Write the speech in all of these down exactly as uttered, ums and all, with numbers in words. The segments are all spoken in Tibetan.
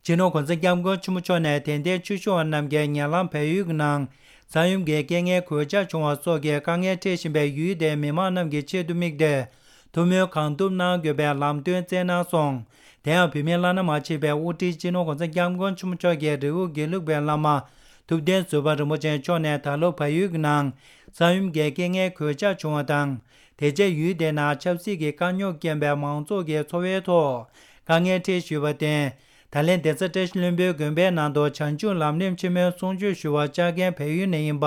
སྤྱི་ནོར་༸གོང་ས་༸སྐྱབས་མགོན་ཆེན་པོ་མཆོག་ནས་དད་ལྡན་ཆོས་ཞུ་བ་རྣམས་ཀྱིས་ཉེ་ལམ་བལ་ཡུལ་གྱི་ནང་ས་ཡོམ་གྱི་རྐྱེན་ངན་གོད་ཆག་བྱུང་བ་སོགས་ཀྱི་དཀའ་ངལ་འཕྲད་བཞིན་པའི་ཡུལ་དེའི་མི་མང་རྣམས་ཀྱི་ཆེད་དུ་དམིགས་ཏེ། ཐུགས་སྨོན་གང་ཐུབ་གནང་དགོས་པའི་ལམ་སྟོན་སྩལ་གནང་སོང་། དེ་ཡང་བོད་མིའི་བླ་ན་མ་མཆིས་པའི་དབུ་ཁྲིད་སྤྱི་ནོར་༸གོང་ས་༸སྐྱབས་མགོན་ཆེན་པོ་མཆོག་གི་རི་བོ་དགེ་ལུགས་པའི་བླ་མ་ཐུབ་བསྟན་ཟུར་པ་རིན་པོ་ཆེ་མཆོག་ནས་ད་ལོ་བལ་ཡུལ་གྱི་ནང་ས་ཡོམ་གྱི་རྐྱེན་ངན་གོད་ཆག་བྱུང་བ་དང་། དེ་རྗེས་ཡུལ་དེ་ནང་ཆབ་སྲིད་ཀྱི་དཀའ་རྙོག་རྐྱེན་པས་མང་ཚོགས་ཀྱི་འཚོ་བའི་ཐོག་དཀའ་ངལ་འཕྲད་བཞིན་པར་བརྟེན། ད་ལན་གདན་ས་བཀྲ་ཤིས་ལྷུན་པོའི་དགོན་པའི་ནང་དུ་བྱང་ཆུབ་ལམ་རིམ་ཆེན་མོའི་གསུང་ཆོས་ཞུ་བར་བཅར་མཁན་བལ་ཡུལ་ནས་ཡིན་པ།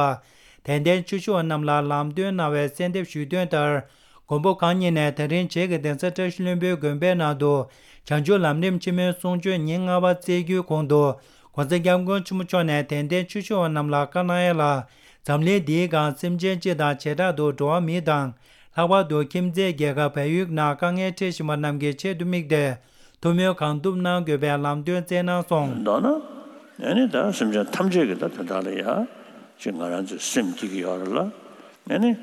དད་ལྡན་ཆོས་ཞུ་བ་རྣམས་ལ་ལམ་སྟོན་གནང་བའི་གསལ་འདེབས་ཞུས་དོན་ལྟར། མགོན་པོ་གང་ཉིད་ནས་ད་རིང་བྱེས་ཀྱི་གདན་ས་བཀྲ་ཤིས་ལྷུན་པོའི་དགོན་པའི་ནང་དུ་བྱང་ཆུབ་ལམ་རིམ་ཆེན་མོའི་གསུང་ཆོས་ཉིན་ལྔ་པ་སྩལ་རྒྱུའི་གོང་དུ། ༸གོང་ས་༸སྐྱབས་མགོན་ཆེན་པོ་མཆོག་ནས་དད་ལྡན་ཆོས་ཞུ་བ་རྣམས་ལ་བཀའ་གནང་ཡ་ལ། འཛམ་གླིང་འདིའི་སྒང་སེམས་ཅན་སྤྱི་དང་བྱེ་བྲག་ཏུ་འགྲོ་བ་མི་དང་། ལྷག་པར་དུ་ཁྱིམ་མཚེས་རྒྱལ་ཁབ་བལ་ཡུལ་ནང་དཀའ་ངལ་འཕྲད་བཞིན་པ་རྣམས་ཀྱི་ཆེད་དུ་དམིགས་ཏེ། ཐུགས་སྨོན་གང་ཐུབ་གནང་དགོས་པའི་ལམ་སྟོན་སྩལ་གནང་སོང་། མདོར་ན། ཨ་ནི་ད་སེམས་ཅན་ཐམས་ཅད་ཀྱི་ད་དོན་དག་ལ་ཡ། ཅིག་ང་རང་ཚོའི་སེམས་སྐྱིད་ཀྱི་ཡོད་རེད་ལ། ཨ་ནི།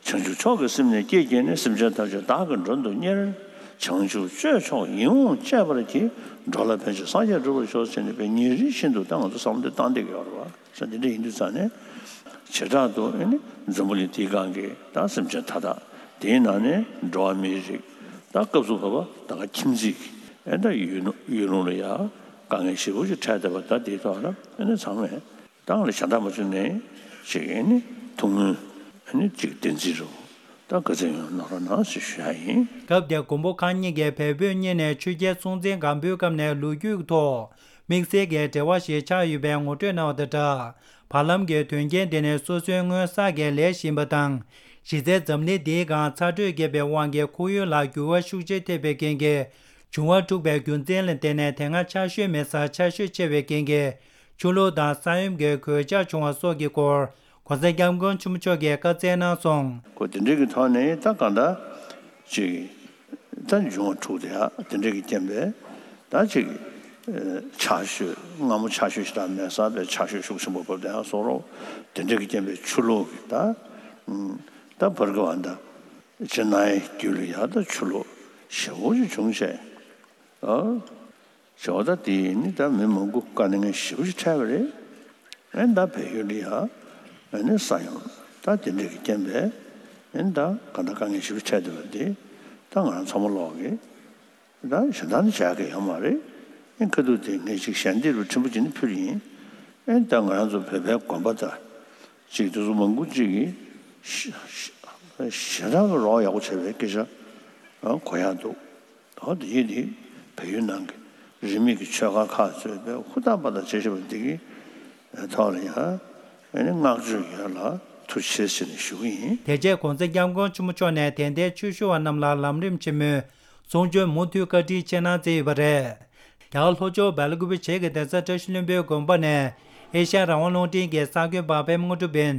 བྱང་ཆུབ་མཆོག་གི་སེམས་ནི་བསྐྱེད་བསྐྱེད་ནས་སེམས་ཅན་ཐམས་ཅད་བདག་གི་མགྲོན་དུ་གཉེར། བྱང་ཆུབ་སྤྱོད་མཆོག་ཡིད་འོང་སྤྱད་པར་བགྱི། འགྲོ་ལ་ཕན་ཕྱིར་སངས་རྒྱས་འགྲུབ་པར་ཤོག་ཟེར་ནས་པའི་ཉིན་རེ་བཞིན་དུ་ད་ང་ཚོ་བསམ་བློ་བཏང་བསྡད་ཀྱི་ཡོད་རེད་བ། ས་འདི་འདྲ་ཡིན་དུས་ཙང་ནས། བྱེ་བྲག་ཏུ་ཨེ་ནི་འཛམ་བུ་གླིང་འདིའི་སྒང་གི་ད་སེམས་ཅན་མཐའ་དག་དེའི་ནང་ནས་འགྲོ་བ་མིའི་རིགས་ད་སྐབས་སུ་བབ་པ་ད་ག་ཁྱིམ་མཚེས་ཀྱི་ཨེ་ད་ཡུལ་ལུང་ལ་ཡ་དཀའ་ངལ་ཞེ་པོ་ཅིག་འཕྲད་བསྡད་པ་ད་དེའི་ཐོག་ལ་ཨེ་ནི་ཚང་མས་ད་ང་ལ་ཞེ་དྲག་མ་བྱུང་ནས་ཅིག་ཨེ་ནི་ཐུགས་སྨོན་ཨེ་ནི་ཅིག་བདེན་ཚིག་རུ་ད་དགའ་ཚལ་ཡོང་གནང་རོགས་གནང་ཞེས་ཞུ་ཡ་ཡིན། སྐབས་དེར་མགོན་པོ་གང་ཉིད་ཀྱིས་བལ་བོད་གཉིས་ནས་ཆོས་རྒྱལ་སྲོང་བཙན་སྒམ་པོའི་སྐབས་ནས་ལོ་རྒྱུས་ཀྱི་ཐོག་དམིགས་བསལ་གྱི་འབྲེལ་བ་ཞིག་ཆགས་ཡོད་པའི་ངོ་སྤྲོད་གནང་བ་དང་སྦྲགས། བར་ལམ་གྱི་དོན་རྐྱེན་དེ་ནི་སོ་སོའི་སྔོན་བསགས་ཀྱི་ལས་ཡིན་པ་དང་། གཞི་རྩའི་འཛམ་གླིང་འདིའི་སྒང་ཚ་དྲོད་རྒྱས་པའི་དབང་གིས་ཁོར་ཡུག་ལ་འགྱུར་བ་ཤུགས་ཆེ་ཐེབས་པའི་རྐྱེན་གྱིས། འབྱུང་བ་འཁྲུགས་པའི་རྒྱུ་མཚན་ལ་བརྟེན་ནས་དེ་སྔ་ཆར་ཞོད་མེད་སར་ཆར་ཞོད་ཆེ་བའི་རྐྱེན་གྱིས། ཆུ་ལོག་དང་ས་ཡོམ་གྱི་གོད་ཆག་བྱུང་བ་སོགས་ཀྱི་སྐོར། ༸གོང་ས་༸སྐྱབས་མགོན་ཆེན་པོ་མཆོག་གིས་བཀའ་སྩལ་གནང་སོང་། ཁོ་དེ་འདྲའི་གི་ཐོག་ནས་ད་གང་ལྟར་ཅིག་ད་འབྱུང་བ་འཁྲུགས་དེ་ཡ་དེ་འདྲའི་གི་རྐྱེན་པས་ད་ཅིག་ཆར་ཞོད་སྔ་མོ་ཆར་ཞོད་ཞེ་དྲག་མེད་ས་པའི་ཆར་ཞོད་ཤུགས་ཆེན་པོ་བབས་དེ་ཡང་སོགས་རོགས་དེ་འདྲའི་གི་རྐྱེན་པས་ཆུ་ལོག་གི་ད་ད་བར་གི་བ་ད་ཅི་ན་ཡི་རྒྱུད་ལ་ཡ་ད་ཆུ་ལོག་ཞེ་པོ་ཅིག་བྱུང་བྱས། བྱ་བ་ད་དེ་ནི་ད་མི་མང་པོ་དཀའ་ངལ་ཞེ་པོ་ཅིག་འཕྲད་པ་རེད། ཨེ་ད་བལ་ཡུལ་ལ་ཡ་ཨེ་ནི་ས་ཡོམ་ད་དེ་འདྲ་གི་རྐྱེན་པས་ཨེ་ད་ག་ད་དཀའ་ངལ་ཞེ་པོ་འཕྲད་བསྡད་པ་དེ་ད་ང་རང་ཚང་མ་ལོག་གི་ད་གཞན་དག་ནི་བྱ་གི་ཡོད་མ་རེད། ཨེ་ཁ་ཐུག་དེ་ངས་ཅིག་ཞལ་འདེབས་རུ་ཕྲན་བུ་ཅིག་ནི་ཕུལ་ཡིན། ཨེ་ད་ང་རང་ཚོ་བོད་པའི་དགོན་པ་ད་ཅིག་དེ་ཚོ་མང་པོ་ཅིག་གིས་ཞེ་དྲག་གི་རོགས་ཡག་པོ་བྱས་པའི་སྐད་ཆ་གོ་ཡག་འདུག་ཨོ་དེ་ཡིན་དེ་བལ་ཡུལ་ནང་གི་རིས་མེད་ཀྱི་ཆོས་ཁ་ཁག་ཚོས་པའི་ཧུར་ཐག་པ་དང་བྱེད་བཞིན་པ་འདི་གི་ཐོག་ལ་ཡང་ཨ་ནི་བསྔགས་བརྗོད་ཡོད་ལ་ཐུགས་རྗེ་ཆེ་ཟེར་ནས་ཞུ་གི་ཡིན། དེ་རྗེས་༸གོང་ས་༸སྐྱབས་མགོན་ཆེན་པོ་མཆོག་ནས་དད་ལྡན་ཆོས་ཞུ་བ་རྣམས་ལ་ལམ་རིམ་ཆེན་མོའི་གསུང་ཆོས་མུ་མཐུད་བཀའ་དྲིན་ཆེ་གནང་སྩལ་ཡོད་པ་རེད། རྒྱ་གར་ལྷོ་ཕྱོགས་སྦེལ་ཀུ་པེ་བྱེས་ཀྱི་གདན་ས་བཀྲ་ཤིས་ལྷུན་པོའི་དགོན་པ་ནས་ཨེ་ཤ་ཡ་རང་དབང་རླུང་འཕྲིན་གྱི་གསར་འགོད་པ་པད་མ་དངོས་གྲུབ་ཡིན།